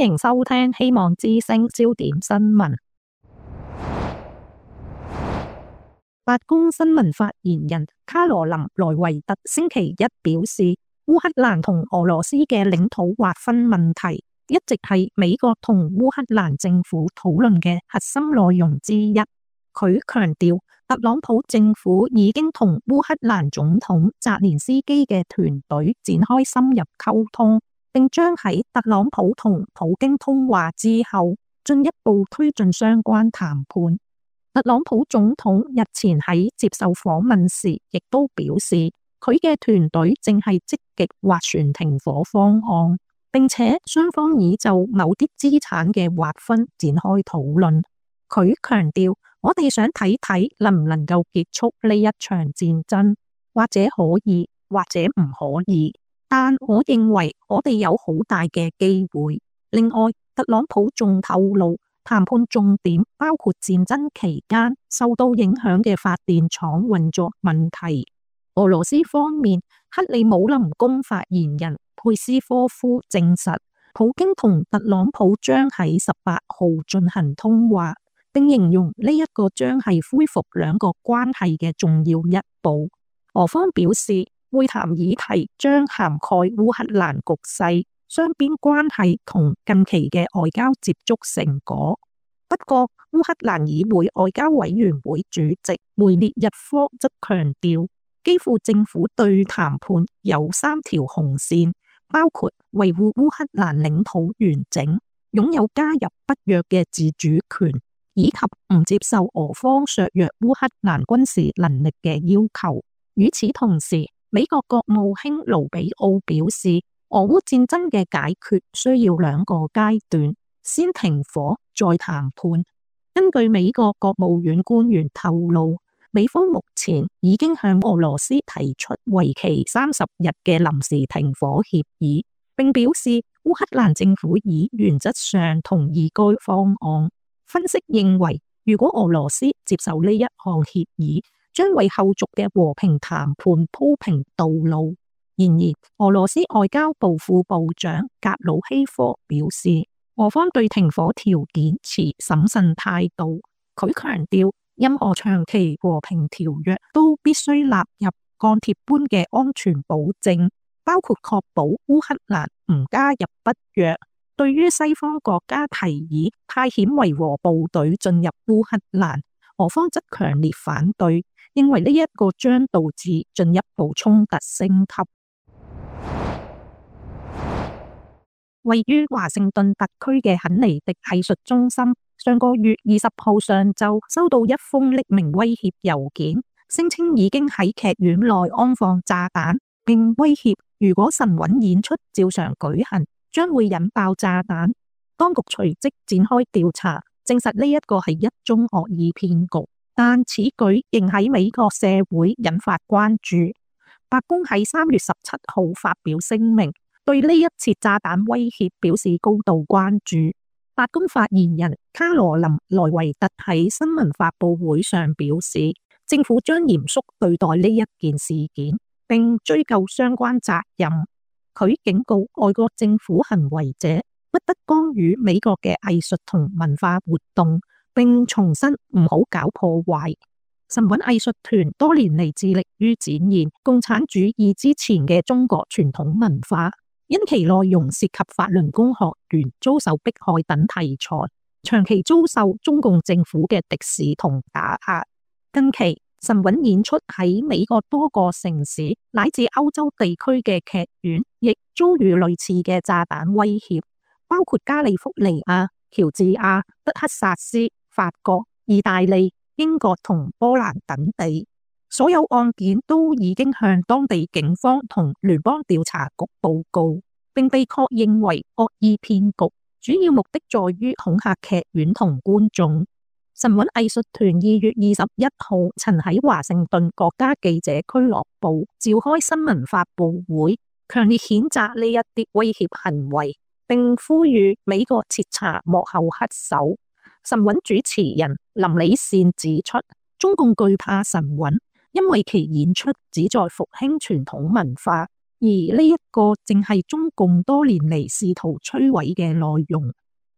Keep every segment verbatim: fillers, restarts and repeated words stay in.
迎收聽希望之聲焦點新聞。白宮新聞發言人卡羅琳萊維特星期一表示，烏克蘭同俄羅斯嘅領土劃分問題一直係美國同烏克蘭政府討論嘅核心內容之一。佢強調，特朗普政府已經同烏克蘭總統澤連斯基嘅團隊展開深入溝通，並將喺特朗普同普京通話之後進一步推進相關談判。特朗普總統日前喺接受訪問時，亦都表示佢嘅團隊正係積極斡旋停火方案，並且雙方已就某啲資產嘅劃分展開討論。佢強調，我哋想睇睇能唔能夠結束呢一場戰爭，或者可以，或者唔可以，但我認為我哋有好大嘅機會。另外，特朗普仲透露，談判重點包括戰爭期間受到影響嘅發電廠運作問題。俄羅斯方面，克里姆林宮發言人佩斯科夫證實，普京同特朗普將喺十八號進行通話，並形容呢一個將係恢復兩國關係嘅重要一步。俄方表示，會談議題將涵蓋烏克蘭局勢、雙邊關係同近期嘅外交接觸成果。不過，烏克蘭議會外交委員會主席梅列日科則強調，基輔政府對談判有三條紅線，包括維護烏克蘭領土完整、擁有加入北約嘅自主權，以及唔接受俄方削弱烏克蘭軍事能力嘅要求。與此同時，美國國務卿盧比奧表示，俄烏戰爭嘅解決需要兩個階段，先停火再談判。根據美國國務院官員透露，美方目前已經向俄羅斯提出為期三十日嘅臨時停火協議，並表示烏克蘭政府已原則上同意該方案。分析認為，如果俄羅斯接受呢一項協議，將為後續嘅和平談判鋪平道路。然而，俄羅斯外交部副部長格魯希科表示，俄方對停火條件持審慎態度。佢強調，任何長期和平條約都必須納入鋼鐵般嘅安全保證，包括確保烏克蘭唔加入北約。對於西方國家提議派遣維和部隊進入烏克蘭，俄方則強烈反對，認為呢一個將導致進一步衝突升級。位於華盛頓特區嘅肯尼迪藝術中心，上個月二十號上晝收到一封匿名威脅郵件，聲稱已經喺劇院內安放炸彈，並威脅如果神韻演出照常舉行，將會引爆炸彈。當局隨即展開調查，證實呢一個係一宗惡意騙局，但此舉仍喺美國社會引發關注。白宮喺三月十七號發表聲明，對呢一次炸彈威脅表示高度關注。白宮發言人卡羅琳萊維特喺新聞發佈會上表示，政府將嚴肅對待呢一件事件，並追究相關責任。佢警告外國政府行為者不得干預美國嘅藝術同文化活動，並重申唔好搞破壞。神韻藝術團多年嚟致力於展現共產主義之前嘅中國傳統文化，因其內容涉及法輪功學員遭受迫害等題材，長期遭受中共政府嘅敵視同打壓。近期神韻演出喺美國多個城市乃至歐洲地區嘅劇院，亦遭遇類似嘅炸彈威脅，包括加利福尼亞、喬治亞、德克薩斯、法國、意大利、英國同波蘭等地。所有案件都已經向當地警方同聯邦調查局報告，並被確認為惡意騙局，主要目的在於恐嚇劇院同觀眾。神韻藝術團二月二十一號曾喺華盛頓國家記者俱樂部召開新聞發佈會，強烈譴責呢一啲威脅行為，並呼籲美國徹查幕後黑手。神韻主持人林理善指出，中共懼怕神韻，因為其演出旨在復興傳統文化，而呢一個正係中共多年嚟試圖摧毀嘅內容。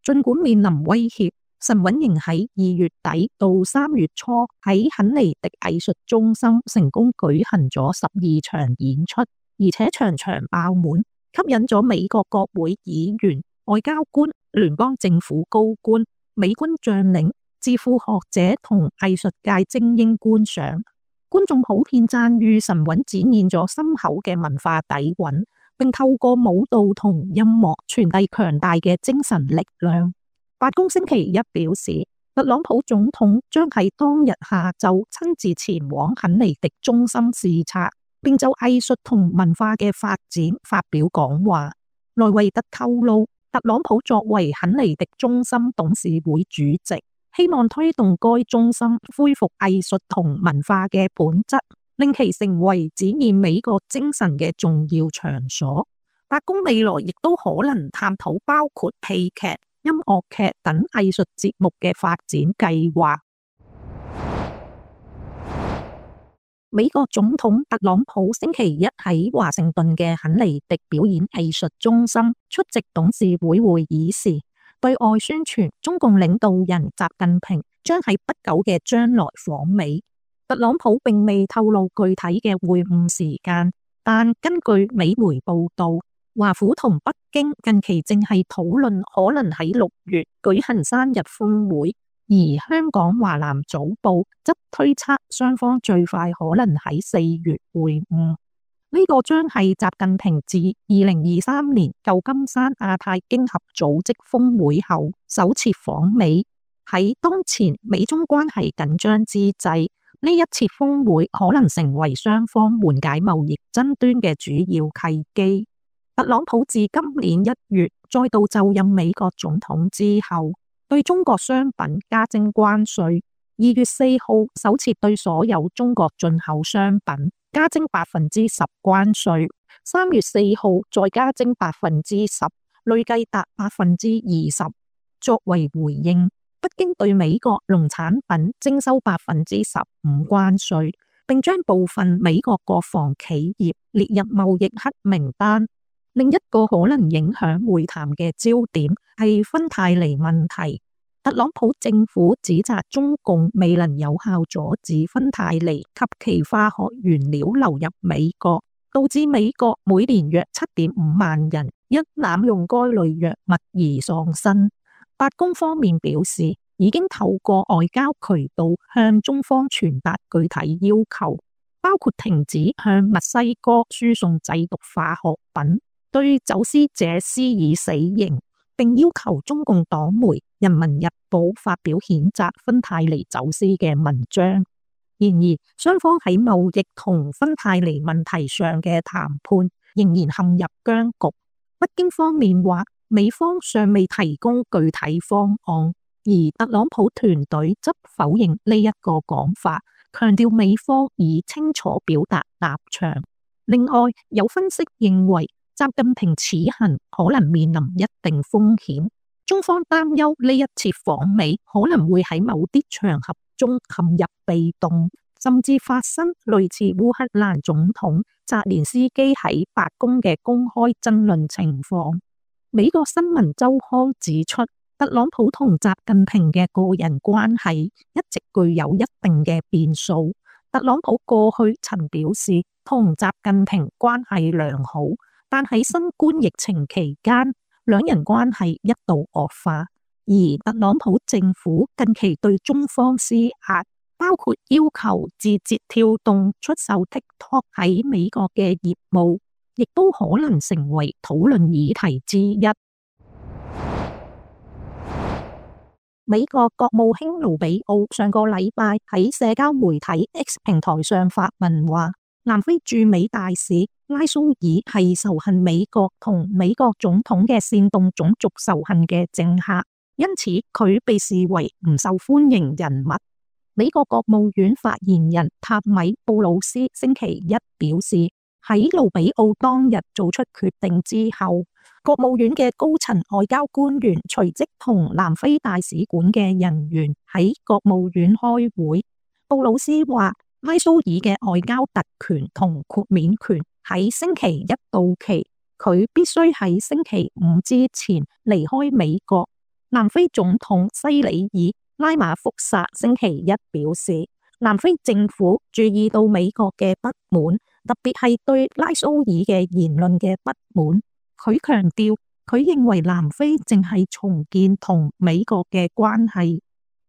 儘管面臨威脅，陳韻瑩喺二月底到三月初喺肯尼迪藝術中心成功舉行咗十二場演出，而且場場爆滿，吸引咗美國國會議員、外交官、聯邦政府高官、美軍將領、智庫學者同藝術界精英觀賞。觀眾普遍讚譽陳韻展現咗深厚嘅文化底蘊，並透過舞蹈同音樂傳遞強大嘅精神力量。白宮星期一表示，特朗普總統將喺當日下晝親自前往肯尼迪中心視察，並就藝術同文化嘅發展發表講話。萊維特透露，特朗普作為肯尼迪中心董事會主席，希望推動該中心恢復藝術同文化嘅本質，令其成為展現美國精神嘅重要場所。白宮未來亦都可能探討包括戲劇、音樂劇等藝術節目嘅發展計劃。美國總統特朗普星期一喺華盛頓嘅肯尼迪表演藝術中心出席董事會會議時，對外宣傳中共領導人習近平將喺不久嘅將來訪美。特朗普並未透露具體嘅會晤時間，但根據美媒報道，華府同北京近期正係討論可能喺六月舉行生日峰會，而香港華南早報則推測雙方最快可能喺四月會晤。呢、這個將係習近平自二零二三年舊金山亞太經合組織峰會後首次訪美。喺當前美中關係緊張之際，呢一次峰會可能成為雙方緩解貿易爭端嘅主要契機。特朗普自今年一月再度就任美國總統之後，對中國商品加徵關稅。二月四號首次對所有中國進口商品加徵百分之十關稅，三月四號再加徵百分之十，累計達百分之二十。作為回應，北京對美國農產品徵收百分之十五關稅，並將部分美國國防企業列入貿易黑名單。另一個可能影響會談嘅焦點係芬太尼問題。特朗普政府指責中共未能有效阻止芬太尼及其化學原料流入美國，導致美國每年約七點五萬人因濫用該類藥物而喪生。白宮方面表示，已經透過外交渠道向中方傳達具體要求，包括停止向墨西哥輸送製毒化學品，對走私者施以死刑，並要求中共黨媒《人民日報》發表譴責芬太尼走私嘅文章。然而，雙方喺貿易同芬太尼問題上嘅談判仍然陷入僵局。北京方面話，美方尚未提供具體方案，而特朗普團隊則否認呢一個講法，強調美方已清楚表達立場。另外，有分析認為，習近平此行可能面臨一定風險，中方擔憂呢一次訪美可能會喺某啲場合中陷入被動，甚至發生類似烏克蘭總統澤連斯基喺白宮嘅公開爭論情況。美國新聞週刊指出，特朗普同習近平嘅個人關係一直具有一定嘅變數。特朗普過去曾表示同習近平關係良好，但喺新冠疫情期間，兩人關係一度惡化。而特朗普政府近期對中方施壓，包括要求字節跳動出售 TikTok 喺美國嘅業務，亦都可能成為討論議題之一。美國國務卿盧比奧上個禮拜喺社交媒體 X 平台上發文話，南非駐美大使拉蘇爾係仇恨美國同美國總統嘅煽動種族仇恨嘅政客，因此佢被視為唔受歡迎人物。美國國務院發言人塔米布魯斯星期一表示，喺盧比奧當日做出決定之後，國務院嘅高層外交官員隨即同南非大使館嘅人員喺國務院開會。布魯斯話，拉蘇爾嘅外交特權同豁免權喺星期一到期，佢必須喺星期五之前離開美國。南非總統西里爾拉馬福薩星期一表示，南非政府注意到美國嘅不滿，特別係對拉蘇爾嘅言論嘅不滿。佢強調，佢認為南非正係重建同美國嘅關係。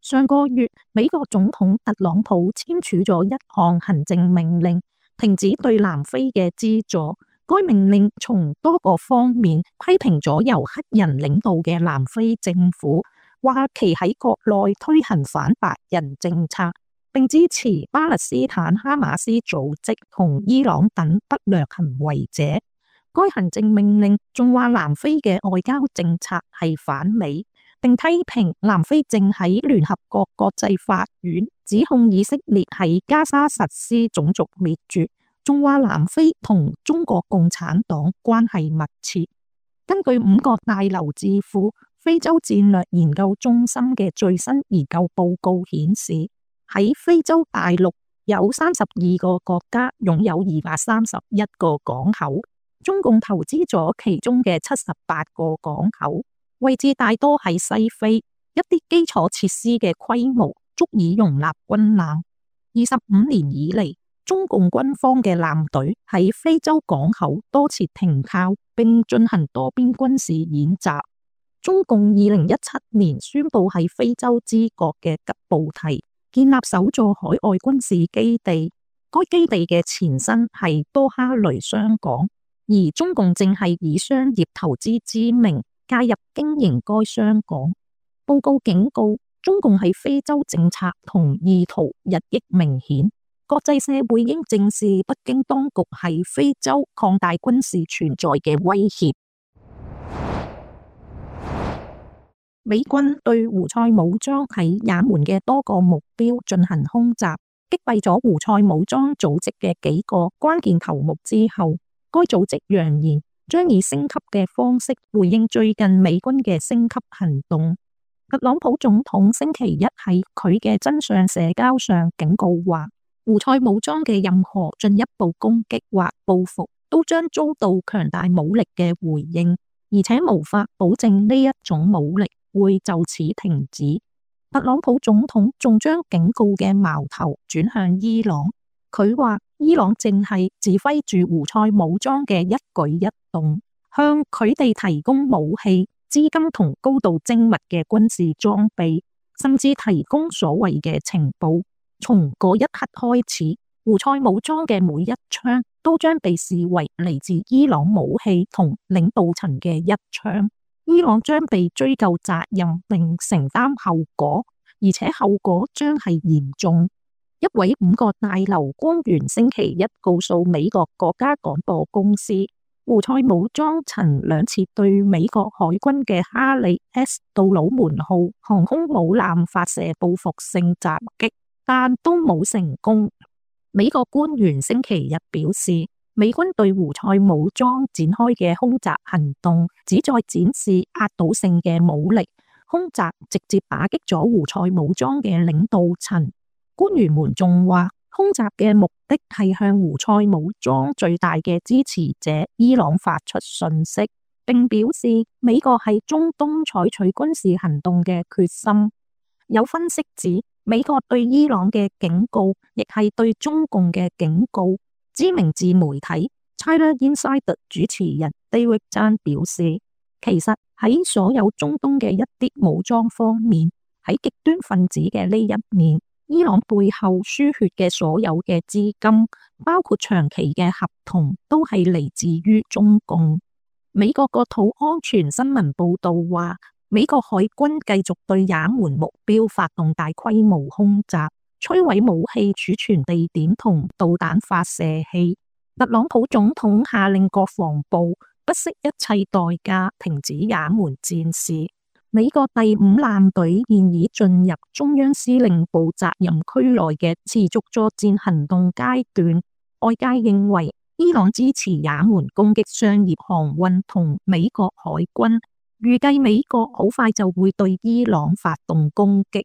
上個月，美國總統特朗普簽署咗一項行政命令，停止對南非嘅資助。該命令從多個方面批評咗由黑人領導嘅南非政府，話其喺國內推行反白人政策，並支持巴勒斯坦哈馬斯組織同伊朗等不良行為者。該行政命令仲話南非嘅外交政策係反美，並批評南非正喺聯合國國際法院指控以色列喺加沙實施種族滅絕，仲話南非同中國共產黨關係密切。根據五角大樓智庫非洲戰略研究中心嘅最新研究報告顯示，喺非洲大陸有三十二個國家擁有二百三十一個港口，中共投資咗其中嘅七十八個港口，位置大多喺西非，一啲基礎設施嘅規模足以容納軍艦。二十五年以嚟，中共軍方嘅艦隊喺非洲港口多次停靠，並進行多邊軍事演習。中共二零一七年宣布喺非洲之角嘅吉布提建立首座海外軍事基地，該基地嘅前身係多哈雷商港，而中共正係以商業投資之名介入經營該商港。報告警告，中共喺非洲政策同意圖日益明顯。國際社會應正視北京當局喺非洲擴大軍事存在嘅威脅。美軍對胡塞武裝喺也門嘅多個目標進行空襲，擊斃咗胡塞武裝組織嘅幾個關鍵頭目之後，該組織揚言將以升級嘅方式回應最近美軍嘅升級行動。特朗普總統星期一喺佢嘅真相社交上警告話，胡塞武裝嘅任何進一步攻擊或報復都將遭到強大武力嘅回應，而且無法保證呢一種武力會就此停止。特朗普總統仲將警告嘅矛頭轉向伊朗，佢話伊朗正係指揮住胡塞武裝嘅一舉一動，向佢哋提供武器、資金同高度精密嘅軍事裝備，甚至提供所謂嘅情報。從嗰一刻開始，胡塞武裝嘅每一槍都將被視為嚟自伊朗武器同領導層嘅一槍，伊朗將被追究責任並承擔後果，而且後果將係嚴重。一位五角大樓官員星期一告訴美國國家廣播公司，胡塞武裝曾兩次對美國海軍嘅哈里 S 杜魯門號航空母艦發射報復性襲擊，但都冇成功。美國官員星期日表示，美軍對胡塞武裝展開嘅空襲行動旨在展示壓倒性嘅武力，空襲直接打擊咗胡塞武裝嘅領導層。官員們仲話，空襲嘅目的係向胡塞武裝最大嘅支持者伊朗發出訊息，並表示美國喺中東採取軍事行動嘅決心。有分析指，美國對伊朗嘅警告，亦係對中共嘅警告。知名自媒體 China Insider 主持人 David Zhang 表示，其實喺所有中東嘅一啲武裝方面，喺極端分子嘅呢一面，伊朗背後輸血嘅所有嘅資金，包括長期嘅合同，都係嚟自於中共。美國國土安全新聞報道話，美國海軍繼續對也門目標發動大規模空襲，摧毀武器儲存地點同導彈發射器。特朗普總統下令國防部不惜一切代價停止也門戰事。美國第五艦隊現已進入中央司令部責任區內嘅持續作戰行動階段。外界認為伊朗支持也門攻擊商業航運同美國海軍，預計美國好快就會對伊朗發動攻擊。